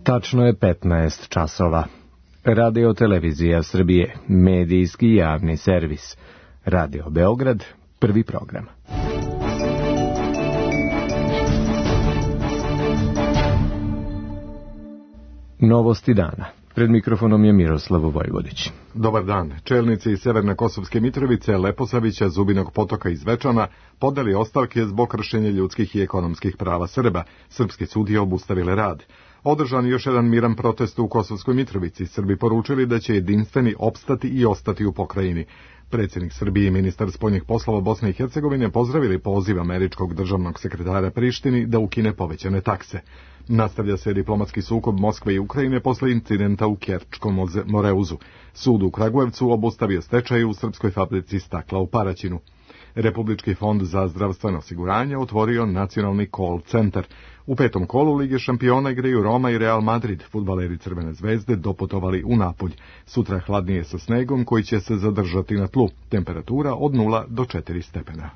Tačno je 15 časova. Radio Televizija Srbije, medijski javni servis. Radio Beograd, prvi program. Novosti dana. Pred mikrofonom je Miroslav Vojvodić. Dobar dan. Čelnici iz Severne Kosovske Mitrovice, Leposavića, Zubinog Potoka i Zvečana podali ostavke zbog kršenja ljudskih i ekonomskih prava Srba. Srpske sudije obustavile rad. Održan još jedan miran protest u Kosovskoj Mitrovici. Srbi poručili da će jedinstveni opstati i ostati u pokrajini. Predsjednik Srbije i ministar spoljnih poslova Bosne i Hercegovine pozdravili poziv američkog državnog sekretara Prištini da ukine povećane takse. Nastavlja se diplomatski sukob Moskve i Ukrajine posle incidenta u Kerčkom Moreuzu. Sud u Kragujevcu obustavio stečaj u srpskoj fabrici stakla u Paraćinu. Republički fond za zdravstveno osiguranje otvorio nacionalni call centar. U petom kolu Lige šampiona igraju Roma i Real Madrid. Fudbaleri Crvene zvezde doputovali u Napulj. Sutra hladnije sa snegom koji će se zadržati na tlu. Temperatura od 0 do 4 stepena.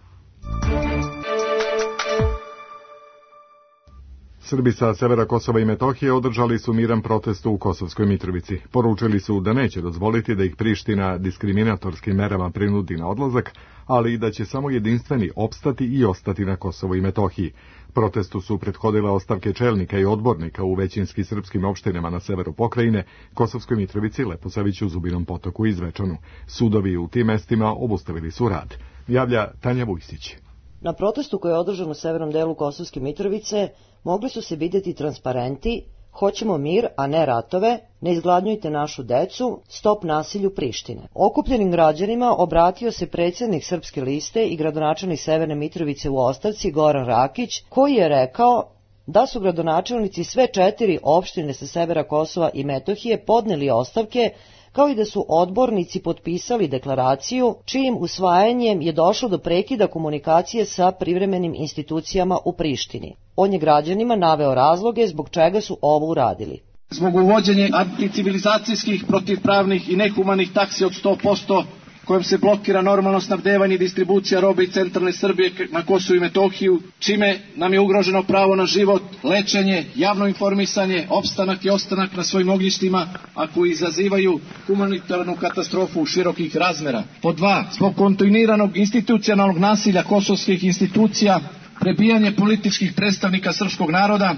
Srbi sa severa Kosova i Metohije održali su miran protest u Kosovskoj Mitrovici. Poručili su da neće dozvoliti da ih Priština diskriminatorskim merama prinudi na odlazak, ali i da će samo jedinstveni opstati i ostati na Kosovo i Metohiji. Protestu su prethodile ostavke čelnika i odbornika u većinski srpskim opštinama na severu pokrajine, Kosovskoj Mitrovici, Leposaviću, Zubinom Potoku i Zvečanu. Sudovi u tim mestima obustavili su rad. Javlja Tanja Vujsić. Na protestu koji je održan u severnom delu Kosovske Mitrovice mogli su se vidjeti transparenti "Hoćemo mir, a ne ratove", "Ne izgladnjujte našu decu", "Stop nasilju Prištine". Okupljenim građanima obratio se predsjednik Srpske liste i gradonačelnik Severne Mitrovice u ostavci Goran Rakić, koji je rekao da su gradonačelnici sve 4 opštine sa severa Kosova i Metohije podneli ostavke, kao i da su odbornici potpisali deklaraciju čijim usvajanjem je došlo do prekida komunikacije sa privremenim institucijama u Prištini. On je građanima naveo razloge zbog čega su ovo uradili. Zbog uvođenja anticivilizacijskih, protivpravnih i nehumanih taksi od 100%, kojom se blokira normalno snabdevanje i distribucija robe i centralne Srbije na Kosovu i Metohiju, čime nam je ugroženo pravo na život, lečenje, javno informisanje, opstanak i ostanak na svojim ognjištima, a koji izazivaju humanitarnu katastrofu širokih razmera. Pod 2. Zbog kontinuiranog institucionalnog nasilja kosovskih institucija, prebijanje političkih predstavnika srpskog naroda,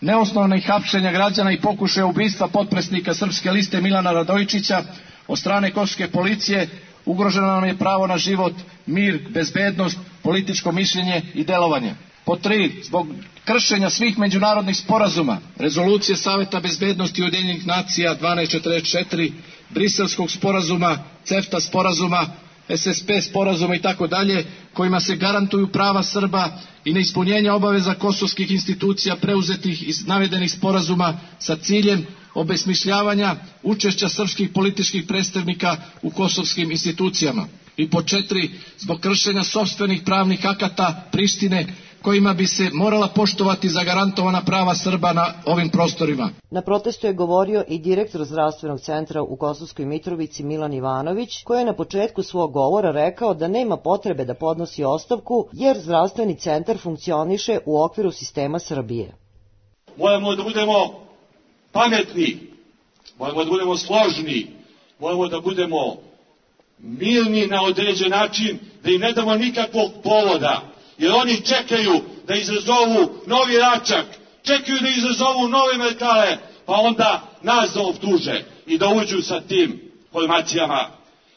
neosnovnih hapšenja građana i pokušaja ubistva potpredsjednika Srpske liste Milana Radojičića od strane kosovske policije, ugroženo nam je pravo na život, mir, bezbednost, političko mišljenje i delovanje. Pod 3. Zbog kršenja svih međunarodnih sporazuma, rezolucije Saveta bezbednosti Ujedinjenih nacija 1244, Briselskog sporazuma, CEFTA sporazuma, SSP sporazuma i tako dalje, kojima se garantuju prava Srba i neispunjenja obaveza kosovskih institucija preuzetih iz navedenih sporazuma sa ciljem obesmišljavanja učešća srpskih političkih predstavnika u kosovskim institucijama. I pod 4. Zbog kršenja sopstvenih pravnih akata Prištine, kojima bi se morala poštovati zagarantovana prava Srba na ovim prostorima. Na protestu je govorio i direktor zdravstvenog centra u Kosovskoj Mitrovici Milan Ivanović, koji je na početku svog govora rekao da nema potrebe da podnosi ostavku, jer zdravstveni centar funkcioniše u okviru sistema Srbije. Moramo da budemo pametni, moramo da budemo složni, moramo da budemo mirni na određen način, da im ne damo nikakvog povoda, jer oni čekaju da izazovu novi račak, čekaju da izazovu nove metale, pa onda nas da optuže i da uđu sa tim formacijama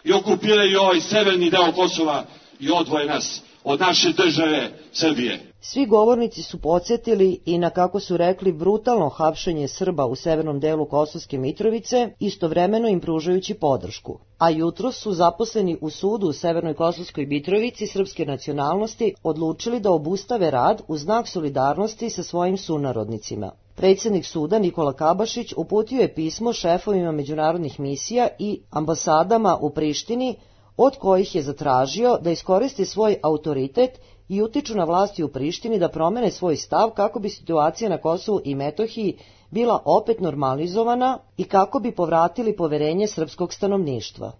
i okupiraju ovaj severni deo Kosova i odvoje nas od naše države Srbije. Svi govornici su podsjetili i na, kako su rekli, brutalno hapšenje Srba u severnom delu Kosovske Mitrovice, istovremeno im pružajući podršku. A jutros su zaposleni u sudu u severnoj Kosovskoj Mitrovici srpske nacionalnosti odlučili da obustave rad u znak solidarnosti sa svojim sunarodnicima. Predsjednik suda Nikola Kabašić uputio je pismo šefovima međunarodnih misija i ambasadama u Prištini, od kojih je zatražio da iskoriste svoj autoritet i utiču na vlasti u Prištini da promene svoj stav kako bi situacija na Kosovu i Metohiji bila opet normalizovana i kako bi povratili poverenje srpskog stanovništva.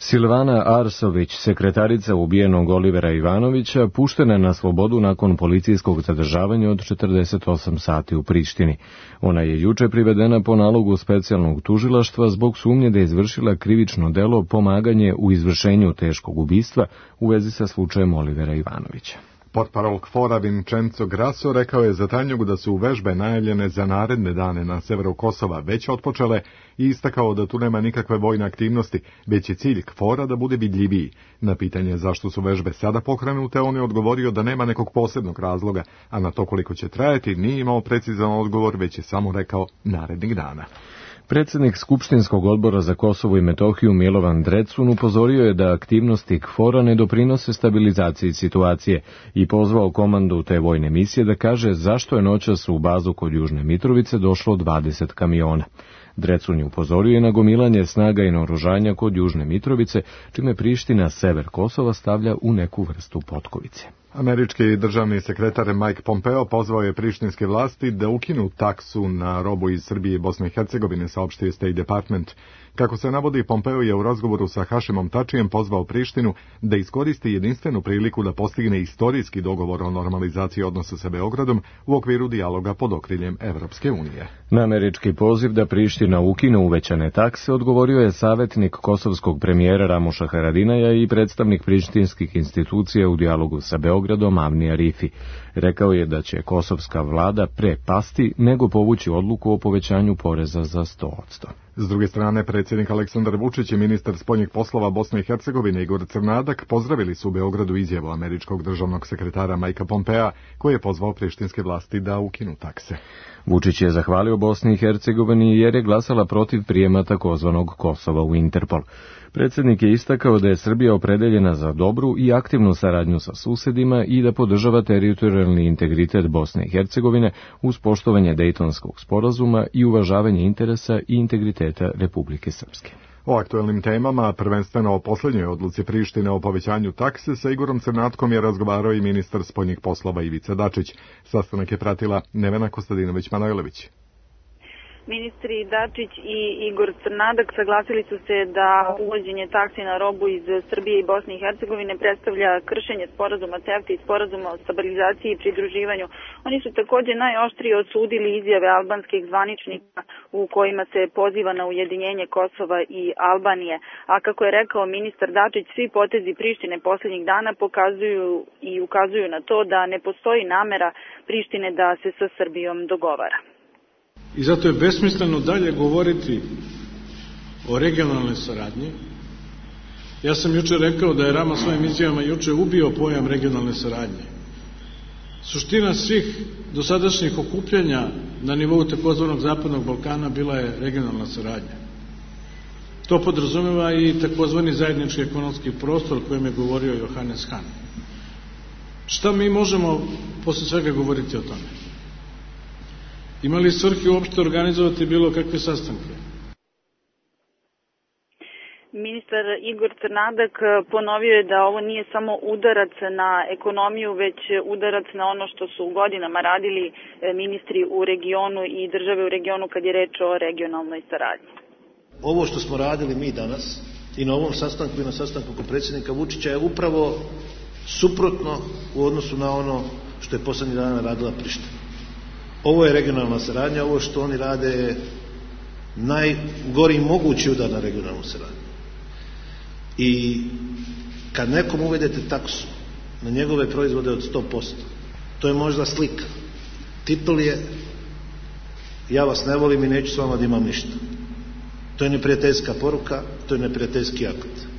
Silvana Arsović, sekretarica ubijenog Olivera Ivanovića, puštena je na slobodu nakon policijskog zadržavanja od 48 sati u Prištini. Ona je juče privedena po nalogu specijalnog tužilaštva zbog sumnje da je izvršila krivično delo pomaganje u izvršenju teškog ubistva u vezi sa slučajem Olivera Ivanovića. Portparol KFOR-a Vincenzo Grasso rekao je za Tanjugu da su vežbe najavljene za naredne dane na severu Kosova već otpočele i istakao da tu nema nikakve vojne aktivnosti, već je cilj KFOR-a da bude vidljiviji. Na pitanje zašto su vežbe sada pokrenute, on je odgovorio da nema nekog posebnog razloga, a na to koliko će trajati nije imao precizan odgovor, već je samo rekao narednih dana. Predsjednik Skupštinskog odbora za Kosovo i Metohiju Milovan Drecun upozorio je da aktivnosti KFOR-a ne doprinose stabilizaciji situacije i pozvao komandu te vojne misije da kaže zašto je noćas u bazu kod Južne Mitrovice došlo 20 kamiona. Drecun je upozorio na gomilanje snaga i naoružanja kod Južne Mitrovice, čime Priština sever Kosova stavlja u neku vrstu potkovice. Američki državni sekretar Mike Pompeo pozvao je prištinske vlasti da ukinu taksu na robu iz Srbije i Bosne i Hercegovine, saopštio State Department. Kako se navodi, Pompeo je u razgovoru sa Hašimom Tačijem pozvao Prištinu da iskoristi jedinstvenu priliku da postigne istorijski dogovor o normalizaciji odnosa sa Beogradom u okviru dijaloga pod okriljem Evropske unije. Na američki poziv da Priština ukine uvećane takse odgovorio je savjetnik kosovskog premijera Ramuša Haradinaja i predstavnik prištinskih institucija u dijalogu sa Beogradom Avni Arifi. Rekao je da će kosovska vlada pre pasti nego povući odluku o povećanju poreza za 100%. S druge strane, predsjednik Aleksandar Vučić i ministar spoljnih poslova Bosne i Hercegovine Igor Crnadak pozdravili su u Beogradu izjavu američkog državnog sekretara Mikea Pompea, koji je pozvao prištinske vlasti da ukinu takse. Vučić je zahvalio Bosni i Hercegovini jer je glasala protiv prijema takozvanog Kosova u Interpol. Predsjednik je istakao da je Srbija opredeljena za dobru i aktivnu saradnju sa susedima i da podržava teritorijalni integritet Bosne i Hercegovine uz poštovanje Dejtonskog sporazuma i uvažavanje interesa i integriteta Republike Srpske. O aktuelnim temama, prvenstveno o posljednjoj odluci Prištine o povećanju takse, sa Igorom Crnatkom je razgovarao i ministar spoljnih poslova Ivica Dačić. Sastanak je pratila Nevena Kostadinović-Manojlović. Ministri Dačić i Igor Crnadak saglasili su se da uvođenje taksi na robu iz Srbije i Bosne i Hercegovine predstavlja kršenje sporazuma CEFTA i sporazuma o stabilizaciji i pridruživanju. Oni su također najoštrije osudili izjave albanskih zvaničnika u kojima se poziva na ujedinjenje Kosova i Albanije. A kako je rekao ministar Dačić, svi potezi Prištine posljednjih dana pokazuju i ukazuju na to da ne postoji namera Prištine da se sa Srbijom dogovara. I zato je besmisleno dalje govoriti o regionalnoj saradnji. Ja sam juče rekao da je Rama svojim izjavama juče ubio pojam regionalne saradnje. Suština svih dosadašnjih okupljanja na nivou takozvanog Zapadnog Balkana bila je regionalna saradnja. To podrazumeva i takozvani zajednički ekonomski prostor o kojem je govorio Johannes Hahn. Šta mi možemo posle svega govoriti o tome? Ima li svrhe uopšte organizovati bilo kakve sastanke? Ministar Igor Crnadak ponovio je da ovo nije samo udarac na ekonomiju, već udarac na ono što su godinama radili ministri u regionu i države u regionu kad je reč o regionalnoj saradnji. Ovo što smo radili mi danas i na ovom sastanku i na sastanku kod predsjednika Vučića je upravo suprotno u odnosu na ono što je poslednjih dana radila Priština. Ovo je regionalna saradnja, ovo što oni rade je najgori mogući udar na regionalnu saradnju. I kad nekom uvedete taksu na njegove proizvode od 100%, to je možda slika. Titul je ja vas ne volim i neću s vama da imam ništa. To je neprijateljska poruka, to je neprijateljski akt.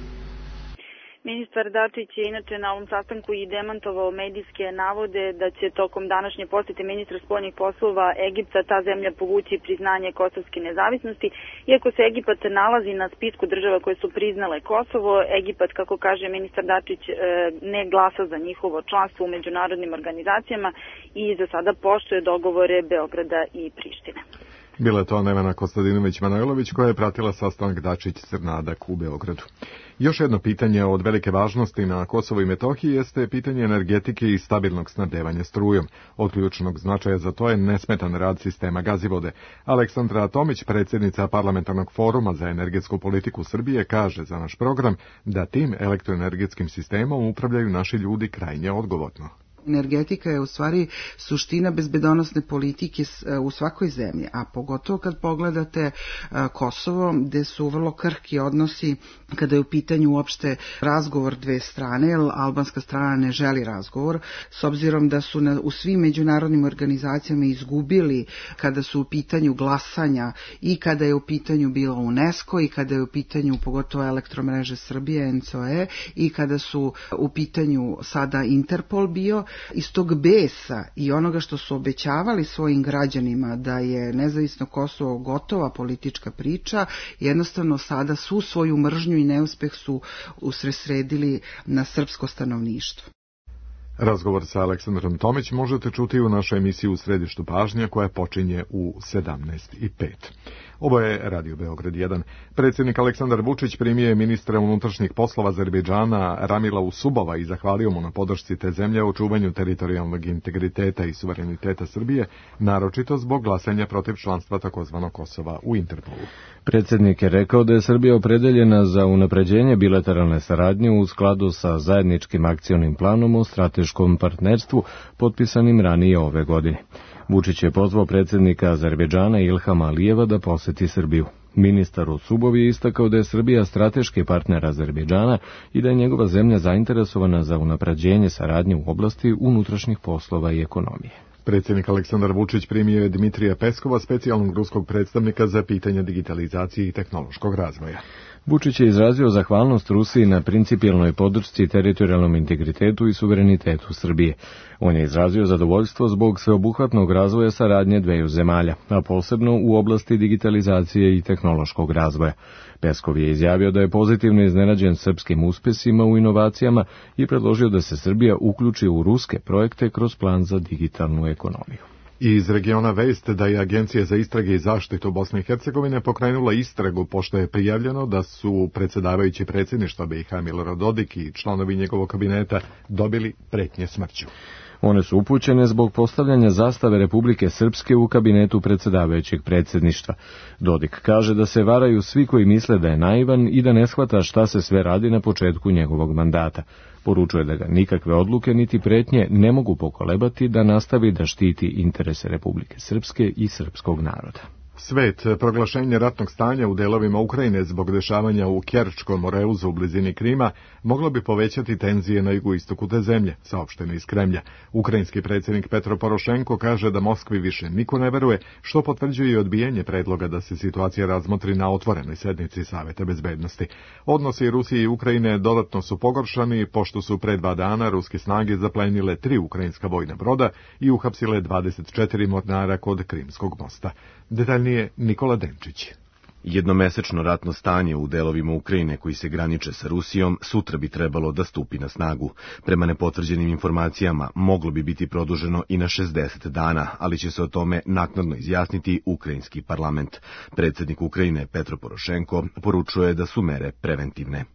Ministar Dačić je inače na ovom sastanku i demantovao medijske navode da će tokom današnje posjete ministra spoljnih poslova Egipta ta zemlja povući priznanje kosovske nezavisnosti. Iako se Egipat nalazi na spisku država koje su priznale Kosovo, Egipat, kako kaže ministar Dačić, ne glasa za njihovo članstvo u međunarodnim organizacijama i za sada poštuje dogovore Beograda i Prištine. Bila je to Nevena Kostadinović-Manojlović koja je pratila sastanak Dačić-Crnadak u Beogradu. Još jedno pitanje od velike važnosti na Kosovu i Metohiji jeste pitanje energetike i stabilnog snabdevanja strujom. Od ključnog značaja za to je nesmetan rad sistema Gazivode. Aleksandra Tomić, predsjednica Parlamentarnog foruma za energetsku politiku Srbije, kaže za naš program da tim elektroenergetskim sistemom upravljaju naši ljudi krajnje odgovorno. Energetika je u stvari suština bezbedonosne politike u svakoj zemlji, a pogotovo kad pogledate Kosovo, gde su vrlo krhki odnosi kada je u pitanju uopšte razgovor dve strane, jer albanska strana ne želi razgovor, s obzirom da su u svim međunarodnim organizacijama izgubili kada su u pitanju glasanja i kada je u pitanju bilo UNESCO i kada je u pitanju pogotovo Elektromreže Srbije, NCOE, i kada su u pitanju sada Interpol bio. Iz tog besa i onoga što su obećavali svojim građanima da je nezavisno Kosovo gotova politička priča, jednostavno sada svu svoju mržnju i neuspeh su usredsredili na srpsko stanovništvo. Razgovor sa Aleksandrom Tomić možete čuti u našoj emisiji U središtu pažnje koja počinje u 17:05. Ovo je Radio Beograd 1. Predsjednik Aleksandar Vučić primio je ministra unutrašnjih poslova Azerbejdžana Ramila Usubova i zahvalio mu na podršci te zemlje u čuvanju teritorijalnog integriteta i suvereniteta Srbije, naročito zbog glasanja protiv članstva takozvanog Kosova u Interpolu. Predsjednik je rekao da je Srbija opredeljena za unapređenje bilateralne saradnje u skladu sa zajedničkim akcionim planom o strateškom partnerstvu potpisanim ranije ove godine. Vučić je pozvao predsjednika Azerbejdžana Ilhama Alijeva da poseti Srbiju. Ministar Usubov je istakao da je Srbija strateški partner Azerbejdžana i da je njegova zemlja zainteresovana za unapređenje saradnje u oblasti unutrašnjih poslova i ekonomije. Predsjednik Aleksandar Vučić primio je Dmitrija Peskova, specijalnog ruskog predstavnika za pitanja digitalizacije i tehnološkog razvoja. Vučić je izrazio zahvalnost Rusiji na principijelnoj podršci teritorijalnom integritetu i suverenitetu Srbije. On je izrazio zadovoljstvo zbog sveobuhvatnog razvoja saradnje dveju zemalja, a posebno u oblasti digitalizacije i tehnološkog razvoja. Peskov je izjavio da je pozitivno iznenađen srpskim uspjesima u inovacijama i predložio da se Srbija uključi u ruske projekte kroz plan za digitalnu ekonomiju. Iz regiona vest da je Agencija za istrage i zaštitu Bosne i Hercegovine pokrenula istragu pošto je prijavljeno da su predsjedavajući predsjedništva BiH Milorad Dodik i članovi njegovog kabineta dobili pretnje smrću. One su upućene zbog postavljanja zastave Republike Srpske u kabinetu predsjedavajućeg predsjedništva. Dodik kaže da se varaju svi koji misle da je naivan i da ne shvata šta se sve radi na početku njegovog mandata. Poručuje da ga nikakve odluke niti pretnje ne mogu pokolebati da nastavi da štiti interese Republike Srpske i srpskog naroda. Svet, proglašenje ratnog stanja u delovima Ukrajine zbog dešavanja u Kerčkom moreuzu u blizini Krima moglo bi povećati tenzije na jugoistoku te zemlje, saopšteno iz Kremlja. Ukrajinski predsjednik Petro Porošenko kaže da Moskvi više niko ne veruje, što potvrđuje i odbijanje predloga da se situacija razmotri na otvorenoj sednici Saveta bezbednosti. Odnosi Rusije i Ukrajine dodatno su pogoršani, pošto su pre 2 dana ruske snage zaplenile 3 ukrajinska vojna broda i uhapsile 24 mornara kod Krimskog mosta. Detaljnije Nikola Denčić. Jednomesečno ratno stanje u delovima Ukrajine koji se graniče sa Rusijom sutra bi trebalo da stupi na snagu. Prema nepotvrđenim informacijama moglo bi biti produženo i na 60 dana, ali će se o tome naknadno izjasniti ukrajinski parlament. Predsjednik Ukrajine Petro Porošenko poručuje da su mere preventivne.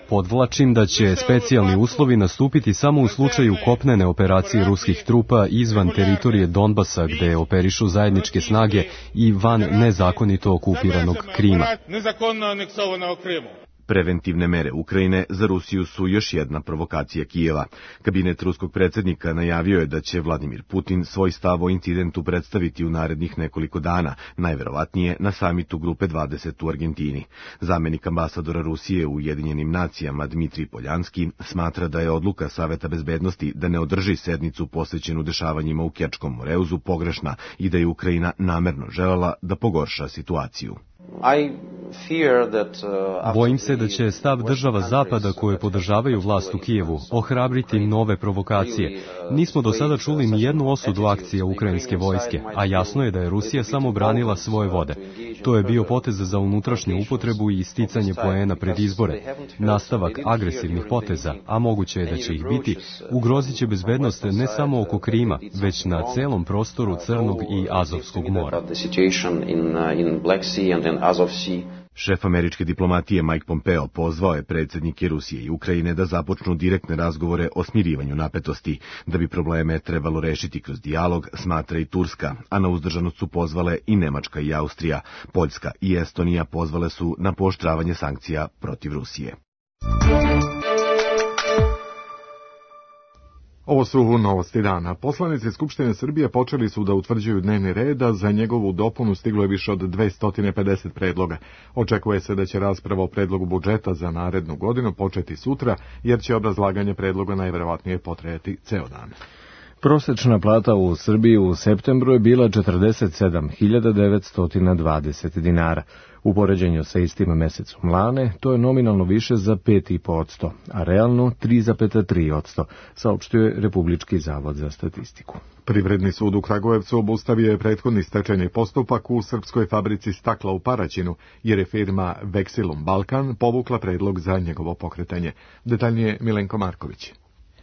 Podvlačim da će specijalni uslovi nastupiti samo u slučaju kopnene operacije ruskih trupa izvan teritorije Donbasa gde operišu zajedničke snage i van nezakonito okupiranog Krima. Preventivne mere Ukrajine za Rusiju su još jedna provokacija Kijeva. Kabinet ruskog predsjednika najavio je da će Vladimir Putin svoj stav o incidentu predstaviti u narednih nekoliko dana, najverovatnije na samitu Grupe 20 u Argentini. Zamenik ambasadora Rusije u Ujedinjenim nacijama Dmitrij Poljanski smatra da je odluka Saveta bezbednosti da ne održi sednicu posvećenu dešavanjima u Kerčkom moreuzu pogrešna i da je Ukrajina namerno želela da pogorša situaciju. Bojim se da će stav država Zapada koje podržavaju vlast u Kijevu ohrabriti nove provokacije. Nismo do sada čuli ni jednu osudu akcija ukrajinske vojske, a jasno je da je Rusija samo branila svoje vode. To je bio potez za unutrašnju upotrebu i isticanje poena pred izbore. Nastavak agresivnih poteza, a moguće je da će ih biti, ugrozit će bezbednost ne samo oko Krima, već na celom prostoru Crnog i Azovskog mora. Šef američke diplomatije Mike Pompeo pozvao je predsjednike Rusije i Ukrajine da započnu direktne razgovore o smirivanju napetosti. Da bi probleme trebalo rešiti kroz dijalog, smatra i Turska, a na uzdržanost su pozvale i Nemačka i Austrija. Poljska i Estonija pozvale su na pooštravanje sankcija protiv Rusije. Ovo su novosti dana. Poslanici Skupštine Srbije počeli su da utvrđuju dnevni red, a za njegovu dopunu stiglo je više od 250 predloga. Očekuje se da će rasprava o predlogu budžeta za narednu godinu početi sutra, jer će obrazlaganje predloga najverovatnije potrajati ceo dan. Prosečna plata u Srbiji u septembru je bila 47.920 dinara. U poređenju sa istim mesecom lane, to je nominalno više za 5,5%, a realno 3,3%, saopštio je Republički zavod za statistiku. Privredni sud u Kragujevcu obustavio je prethodni stečajni postupak u srpskoj fabrici stakla u Paraćinu, jer je firma Vexilum Balkan povukla predlog za njegovo pokretanje. Detaljnije Milenko Marković.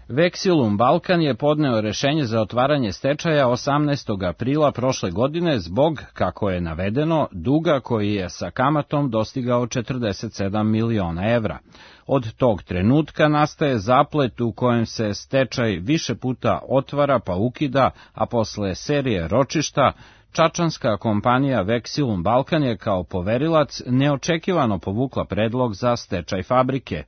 Vexilum Balkan je podneo rešenje za otvaranje stečaja 18. aprila prošle godine zbog, kako je navedeno, duga koji je sa kamatom dostigao 47 miliona evra. Od tog trenutka nastaje zaplet u kojem se stečaj više puta otvara pa ukida, a posle serije ročišta čačanska kompanija Vexilum Balkan je kao poverilac neočekivano povukla predlog za stečaj fabrike.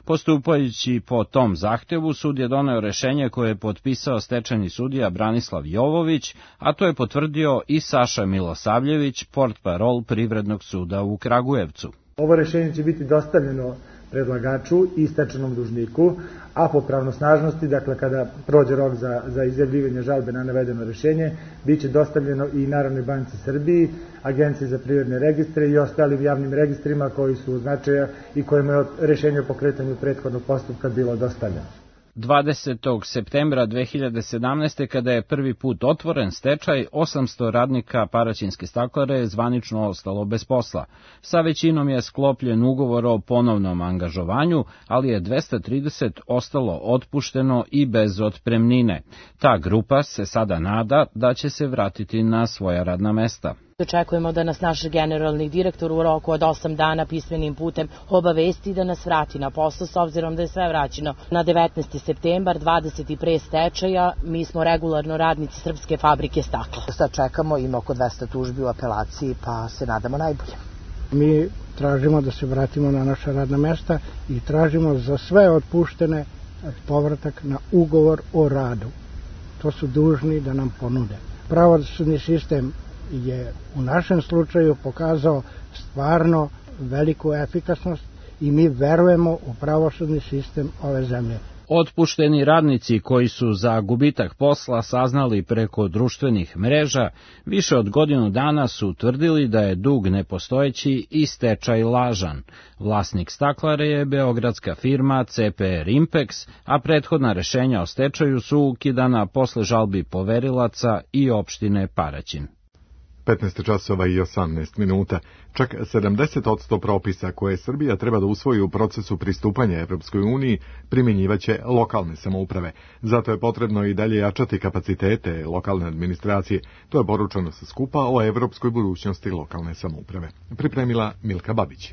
Postupajući po tom zahtevu, sud je doneo rešenje koje je potpisao stečajni sudija Branislav Jovović, a to je potvrdio i Saša Milosavljević, portparol Privrednog suda u Kragujevcu. Ovo rešenje će biti dostavljeno predlagaču i stečajnom dužniku, a po pravnosnažnosti, dakle kada prođe rok za izjavljivanje žalbe na navedeno rešenje, bit će dostavljeno i Narodnoj banci Srbiji, Agenciji za privredne registre i ostalim javnim registrima koji su u značaja i kojima je rešenje o pokretanju prethodnog postupka bilo dostavljeno. 20. septembra 2017. kada je prvi put otvoren stečaj, 800 radnika Paraćinske staklare je zvanično ostalo bez posla. Sa većinom je sklopljen ugovor o ponovnom angažovanju, ali je 230 ostalo otpušteno i bez otpremnine. Ta grupa se sada nada da će se vratiti na svoja radna mesta. Očekujemo da nas naš generalni direktor u roku od 8 dana pismenim putem obavesti da nas vrati na posao, s obzirom da je sve vraćeno na 19. septembar, 20. pre stečaja. Mi smo regularno radnici Srpske fabrike stakla. Sad čekamo, ima oko 200 tužbi u apelaciji, pa se nadamo najbolje. Mi tražimo da se vratimo na naša radna mesta i tražimo za sve otpuštene povratak na ugovor o radu. To su dužni da nam ponude. Pravosudni sistem je u našem slučaju pokazao stvarno veliku efikasnost i mi verujemo u pravosudni sistem ove zemlje. Otpušteni radnici koji su za gubitak posla saznali preko društvenih mreža, više od godinu dana su tvrdili da je dug nepostojeći i stečaj lažan. Vlasnik staklare je beogradska firma CPR Impex, a prethodna rešenja o stečaju su ukidana posle žalbi poverilaca i opštine Paraćin. 15 časova i 18 minuta. Čak 70% propisa koje Srbija treba da usvoji u procesu pristupanja Evropskoj uniji primjenjivaće lokalne samouprave. Zato je potrebno i dalje jačati kapacitete lokalne administracije. To je poručeno sa skupa o evropskoj budućnosti lokalne samouprave. Pripremila Milka Babić.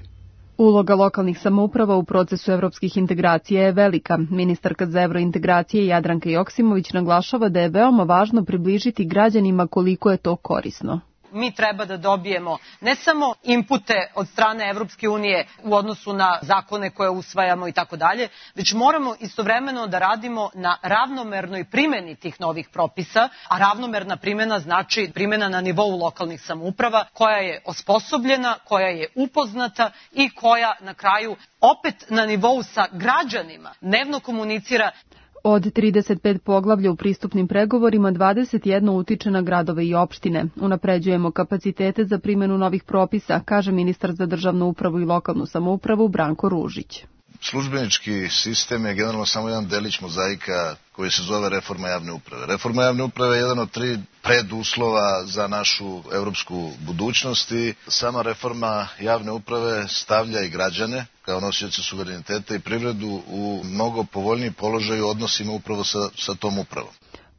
Uloga lokalnih samouprava u procesu evropskih integracija je velika. Ministarka za evrointegracije Jadranka Joksimović naglašava da je veoma važno približiti građanima koliko je to korisno. Mi treba da dobijemo ne samo inpute od strane Evropske unije u odnosu na zakone koje usvajamo i tako dalje, već moramo istovremeno da radimo na ravnomernoj primjeni tih novih propisa, a ravnomerna primjena znači primjena na nivou lokalnih samouprava koja je osposobljena, koja je upoznata i koja na kraju opet na nivou sa građanima dnevno komunicira. Od 35 poglavlja u pristupnim pregovorima 21 utiče na gradove i opštine. Unapređujemo kapacitete za primjenu novih propisa, kaže ministar za državnu upravu i lokalnu samoupravu Branko Ružić. Službenički sistem je generalno samo jedan delić mozaika koji se zove reforma javne uprave. Reforma javne uprave je jedan od 3 preduslova za našu evropsku budućnost i sama reforma javne uprave stavlja i građane kao nosioce suvereniteta i privredu u mnogo povoljniji položaj u odnosima upravo sa tom upravom.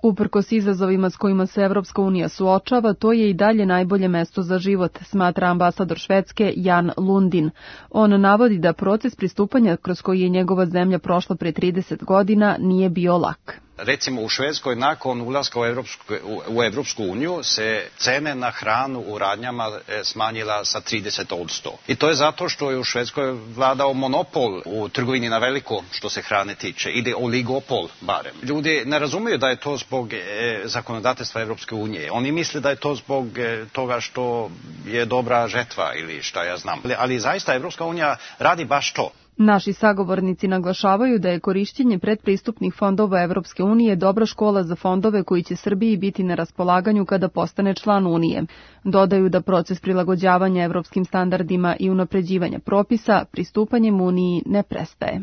Uprkos izazovima s kojima se Evropska unija suočava, to je i dalje najbolje mesto za život, smatra ambasador Švedske Jan Lundin. On navodi da proces pristupanja kroz koji je njegova zemlja prošla pre 30 godina nije bio lak. Recimo u Švedskoj nakon ulaska u Evropsku uniju se cene na hranu u radnjama smanjila sa 30%. I to je zato što je u Švedskoj vladao monopol u trgovini na veliko što se hrane tiče. Ide oligopol barem. Ljudi ne razumeju da je to zbog zakonodavstva Evropske unije. Oni misle da je to zbog toga što je dobra žetva ili šta ja znam. Ali zaista Evropska unija radi baš to. Naši sagovornici naglašavaju da je korišćenje predpristupnih fondova Evropske unije dobra škola za fondove koji će Srbiji biti na raspolaganju kada postane član Unije. Dodaju da proces prilagođavanja evropskim standardima i unapređivanja propisa pristupanjem Uniji ne prestaje.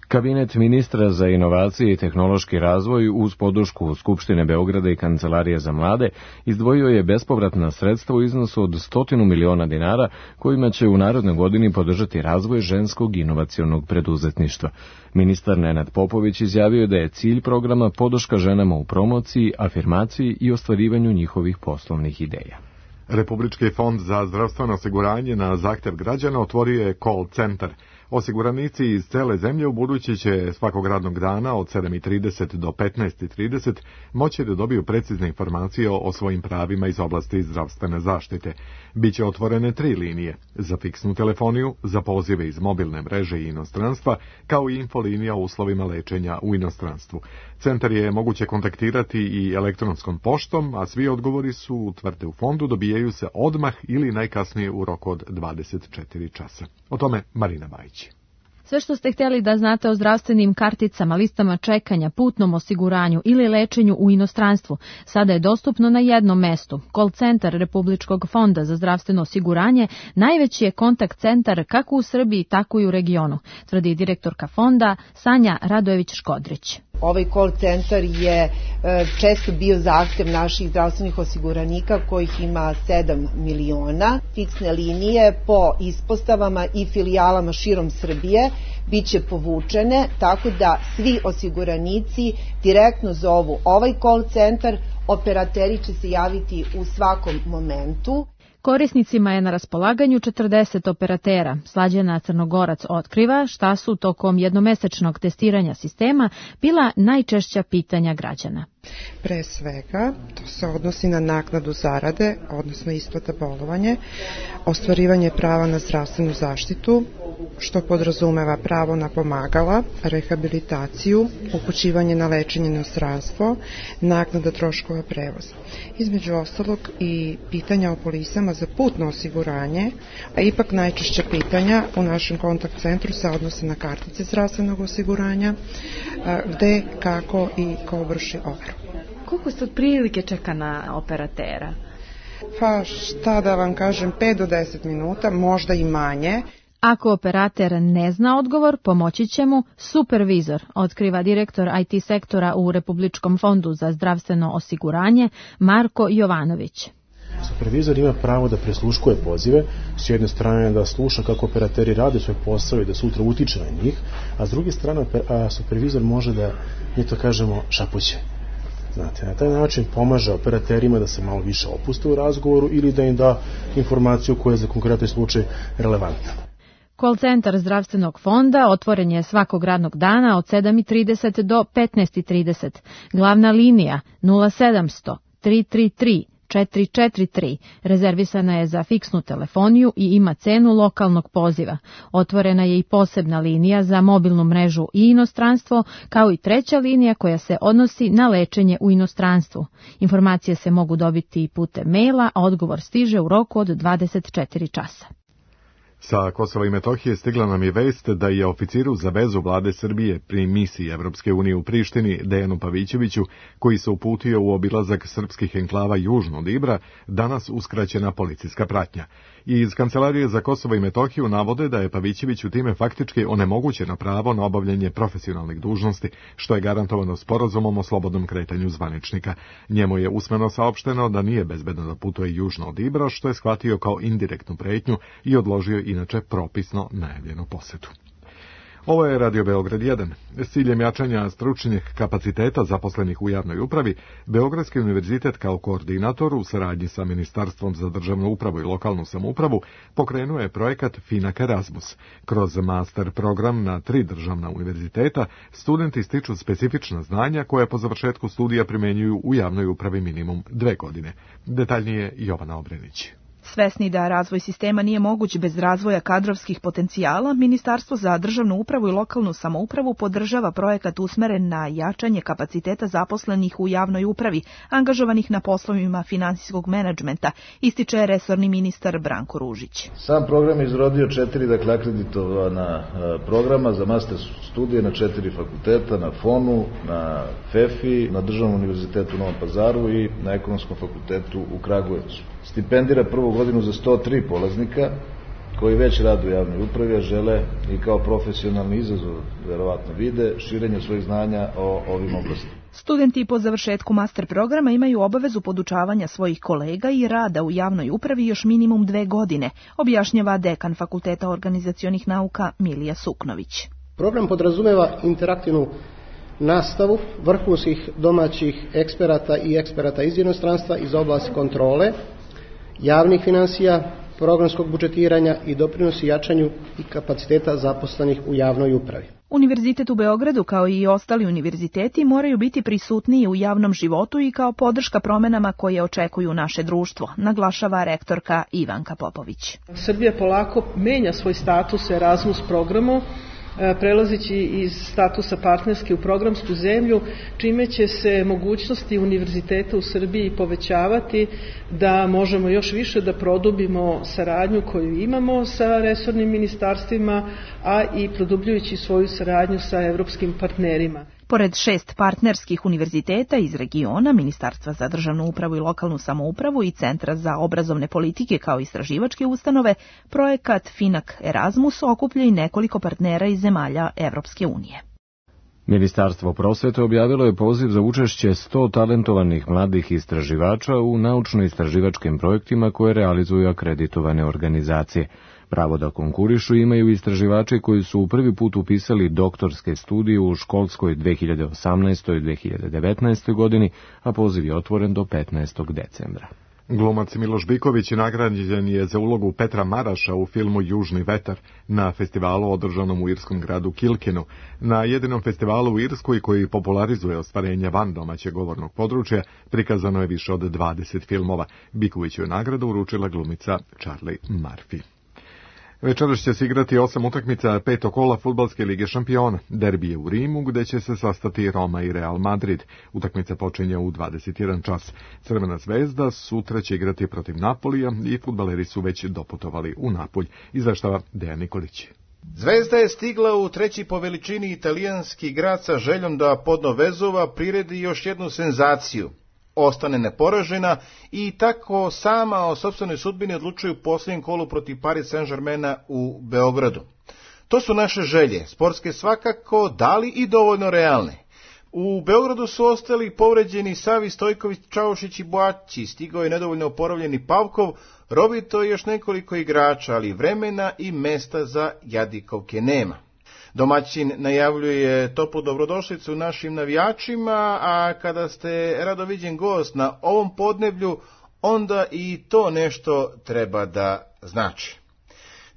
Kabinet ministra za inovacije i tehnološki razvoj uz podršku Skupštine Beograda i Kancelarije za mlade izdvojio je bespovratna sredstva u iznosu od 100 miliona dinara kojima će u narednoj godini podržati razvoj ženskog inovacionog preduzetništva. Ministar Nenad Popović izjavio da je cilj programa podrška ženama u promociji, afirmaciji i ostvarivanju njihovih poslovnih ideja. Republički fond za zdravstveno osiguranje na zahtev građana otvorio je call centar. Osiguranici iz cele zemlje u budući će svakog radnog dana od 7:30 do 15:30 moći da dobiju precizne informacije o svojim pravima iz oblasti zdravstvene zaštite. Biće otvorene 3 linije, za fiksnu telefoniju, za pozive iz mobilne mreže i inostranstva, kao i infolinija o uslovima lečenja u inostranstvu. Centar je moguće kontaktirati i elektronskom poštom, a svi odgovori su, tvrde u fondu, dobijaju se odmah ili najkasnije u roku od 24 časa. O tome Marina Bajić. Sve što ste htjeli da znate o zdravstvenim karticama, listama čekanja, putnom osiguranju ili lečenju u inostranstvu, sada je dostupno na jednom mestu. Call centar Republičkog fonda za zdravstveno osiguranje najveći je kontakt centar kako u Srbiji, tako i u regionu, tvrdi direktorka fonda Sanja Radojević-Škodrić. Ovaj call centar je često bio zahtev naših zdravstvenih osiguranika kojih ima 7 miliona. Fiksne linije po ispostavama i filijalama širom Srbije biće povučene, tako da svi osiguranici direktno zovu ovaj call centar, operateri će se javiti u svakom momentu. Korisnicima je na raspolaganju 40 operatera. Slađana Crnogorac otkriva šta su tokom jednomesečnog testiranja sistema bila najčešća pitanja građana. Pre svega, to se odnosi na naknadu zarade, odnosno isplata bolovanje, ostvarivanje prava na zdravstvenu zaštitu, što podrazumeva pravo na pomagala, rehabilitaciju, upućivanje na lečenje na inostranstvo, naknada troškova prevoza. Između ostalog i pitanja o polisama za putno osiguranje, a ipak najčešće pitanja u našem kontakt centru se odnose na kartice zdravstvenog osiguranja, gde, kako i ko vrši overu. Koliko se otprilike čeka na operatera? Pa šta da vam kažem, 5 do 10 minuta, možda i manje. Ako operater ne zna odgovor, pomoći će mu supervizor, otkriva direktor IT sektora u Republičkom fondu za zdravstveno osiguranje Marko Jovanović. Supervizor ima pravo da presluškuje pozive, s jedne strane da sluša kako operateri rade svoj posao i da sutra utiče na njih, a s druge strane supervizor može da, mi to kažemo, šapuće. Znate, na taj način pomaže operaterima da se malo više opuste u razgovoru ili da im da informaciju koja je za konkretan slučaj relevantna. Call centar zdravstvenog fonda otvoren je svakog radnog dana od 7:30 do 15:30. Glavna linija 0700 333 443 rezervisana je za fiksnu telefoniju i ima cenu lokalnog poziva. Otvorena je i posebna linija za mobilnu mrežu i inostranstvo, kao i treća linija koja se odnosi na lečenje u inostranstvu. Informacije se mogu dobiti putem maila, a odgovor stiže u roku od 24 časa. Sa Kosova i Metohije stigla nam je vest da je oficiru za vezu vlade Srbije pri misiji Evropske unije u Prištini Dejanu Pavićeviću, koji se uputio u obilazak srpskih enklava južno od Ibra, danas uskraćena policijska pratnja. I iz Kancelarije za Kosovo i Metohiju navode da je Pavićeviću time faktički onemogućeno pravo na obavljanje profesionalnih dužnosti, što je garantovano sporazumom o slobodnom kretanju zvaničnika. Njemu je usmeno saopšteno da nije bezbedno da putuje južno od Ibra, što je shvatio kao indirektnu pretnju i odložio inače propisno najavljenu posetu. Ovo je Radio Beograd 1. S ciljem jačanja stručnih kapaciteta zaposlenih u javnoj upravi, Beogradski univerzitet kao koordinator u saradnji sa Ministarstvom za državnu upravu i lokalnu samoupravu pokrenuo je projekat FINAK Erasmus. Kroz master program na 3 državna univerziteta studenti stiču specifična znanja koje po završetku studija primenjuju u javnoj upravi minimum 2 godine. Detaljnije Jovana Obrenić. Svesni da razvoj sistema nije moguć bez razvoja kadrovskih potencijala, Ministarstvo za državnu upravu i lokalnu samoupravu podržava projekat usmeren na jačanje kapaciteta zaposlenih u javnoj upravi, angažovanih na poslovima finansijskog menadžmenta, ističe resorni ministar Branko Ružić. Sam program je izrodio 4 akreditovana programa za master studije na 4 fakulteta, na FON-u, na FEFI, na Državnom univerzitetu u Novom Pazaru i na Ekonomskom fakultetu u Kragujevcu. Stipendira prvu godinu za 103 polaznika koji već rade u javnoj upravi, a žele i kao profesionalni izazov, verovatno vide, širenje svojih znanja o ovim oblastima. Studenti po završetku master programa imaju obavezu podučavanja svojih kolega i rada u javnoj upravi još minimum 2 godine, objašnjava dekan Fakulteta organizacionih nauka Milija Suknović. Program podrazumeva interaktivnu nastavu vrhunskih domaćih eksperata i eksperata iz inostranstva iz oblasti kontrole, javnih finansija, programskog budžetiranja i doprinosi jačanju i kapaciteta zaposlenih u javnoj upravi. Univerzitet u Beogradu, kao i ostali univerziteti, moraju biti prisutniji u javnom životu i kao podrška promenama koje očekuju naše društvo, naglašava rektorka Ivanka Popović. Srbija polako menja svoj status Erasmus programu, prelazići iz statusa partnerske u programsku zemlju, čime će se mogućnosti univerziteta u Srbiji povećavati, da možemo još više da produbimo saradnju koju imamo sa resornim ministarstvima, a i produbljujući svoju saradnju sa evropskim partnerima. Pored 6 partnerskih univerziteta iz regiona, Ministarstva za državnu upravu i lokalnu samoupravu i Centra za obrazovne politike kao istraživačke ustanove, projekat FINAK Erasmus okuplja i nekoliko partnera iz zemalja Evropske unije. Ministarstvo prosvete objavilo je poziv za učešće 100 talentovanih mladih istraživača u naučno-istraživačkim projektima koje realizuju akreditovane organizacije. Pravo da konkurišu imaju istraživači koji su prvi put upisali doktorske studije u školskoj 2018. i 2019. godini, a poziv je otvoren do 15. decembra. Glumac Miloš Biković nagrađen je za ulogu Petra Maraša u filmu Južni vetar na festivalu održanom u irskom gradu Kilkinu. Na jedinom festivalu u Irskoj koji popularizuje ostvarenje van domaćeg govornog područja prikazano je više od 20 filmova. Bikoviću je nagradu uručila glumica Charlie Murphy. Večeras će se igrati 8 utakmica 5. kola Fudbalske lige šampiona. Derbi je u Rimu, gde će se sastati Roma i Real Madrid. Utakmica počinje u 21 čas. Crvena zvezda sutra će igrati protiv Napolija i fudbaleri su već doputovali u Napulj. Izveštava Dejan Nikolić. Zvezda je stigla u 3. po veličini italijanski grad sa željom da podno vezova priredi još jednu senzaciju. Ostane neporažena i tako sama o sopstvenoj sudbini odlučuju u posljednjem kolu protiv Paris Saint-Germaina u Beogradu. To su naše želje, sportske svakako, dali i dovoljno realne. U Beogradu su ostali povređeni Savi, Stojković, Čaušić i Boaći, stigao je nedovoljno oporavljeni Pavkov, robito je još nekoliko igrača, ali vremena i mesta za jadikovke nema. Domaćin najavljuje toplu dobrodošlicu našim navijačima, a kada ste radoviđen gost na ovom podneblju, onda i to nešto treba da znači.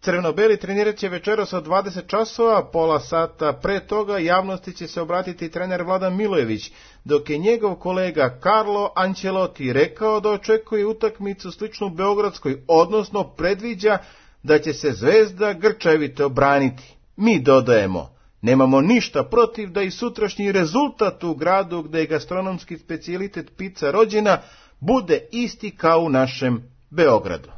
Crveno-beli trenirat će večeras od 20 časova, pola sata pre toga javnosti će se obratiti trener Vladan Milojević, dok je njegov kolega Carlo Ancelotti rekao da očekuje utakmicu sličnu beogradskoj, odnosno predviđa da će se Zvezda grčevito braniti. Mi dodajemo, nemamo ništa protiv da i sutrašnji rezultat u gradu gde je gastronomski specijalitet pizza rođena bude isti kao u našem Beogradu.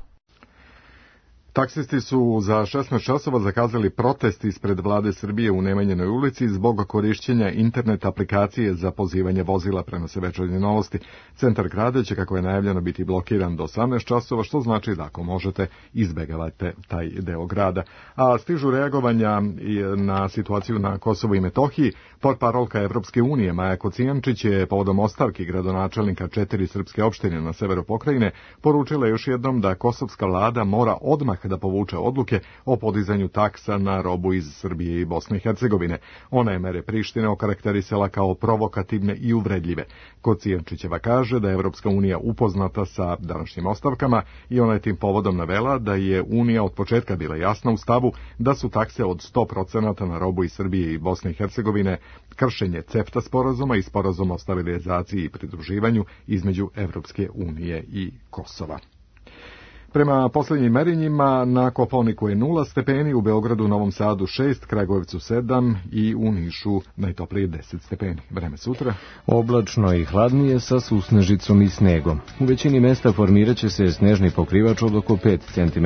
Taksisti su za 16 časova zakazali protest ispred vlade Srbije u Nemanjinoj ulici zbog korišćenja internet aplikacije za pozivanje vozila, prenose Večernje novosti. Centar grada će, kako je najavljeno, biti blokiran do 18 časova, što znači da ako možete izbegavate taj deo grada. A stižu reagovanja na situaciju na Kosovu i Metohiji. Portparolka Evropske unije Maja Kocijančić je povodom ostavki gradonačelnika 4 srpske opštine na severu pokrajine poručila još jednom da kosovska vlada mora odmah da povuče odluke o podizanju taksa na robu iz Srbije i Bosne i Hercegovine. Ona je mere Prištine okarakterisala kao provokativne i uvredljive. Kocijančićeva kaže da je Evropska unija upoznata sa današnjim ostavkama i ona je tim povodom navela da je Unija od početka bila jasna u stavu da su takse od 100% na robu iz Srbije i Bosne i Hercegovine kršenje CEFTA sporazuma i sporazuma o stabilizaciji i pridruživanju između Evropske unije i Kosova. Prema posljednjim merenjima na Kopaoniku je 0 stepeni, u Beogradu, Novom Sadu 6, Kragujevcu 7 i u Nišu najtoplije 10 stepeni. Vreme sutra. Oblačno i hladnije sa susnežicom i snegom. U većini mesta formirat će se snežni pokrivač od oko 5 cm,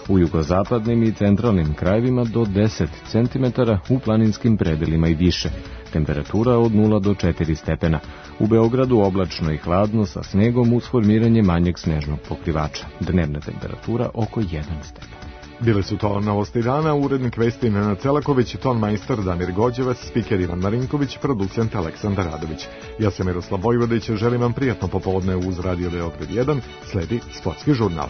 u jugozapadnim i centralnim krajevima do 10 cm, u planinskim predelima i više. Temperatura od 0 do 4 stepena. U Beogradu oblačno i hladno sa snegom uz formiranje manjeg snežnog pokrivača. Dnevna temperatura oko 1 stepen. Bile su to novosti dana, urednik vesti Nenad Celaković, ton majstor Damir Gođevac, spiker Ivan Marinković, producent Aleksandar Radović. Ja sam Miroslav Vojvodić, želim vam prijatno popodne uz Radio Beograd 1, sledi sportski žurnal.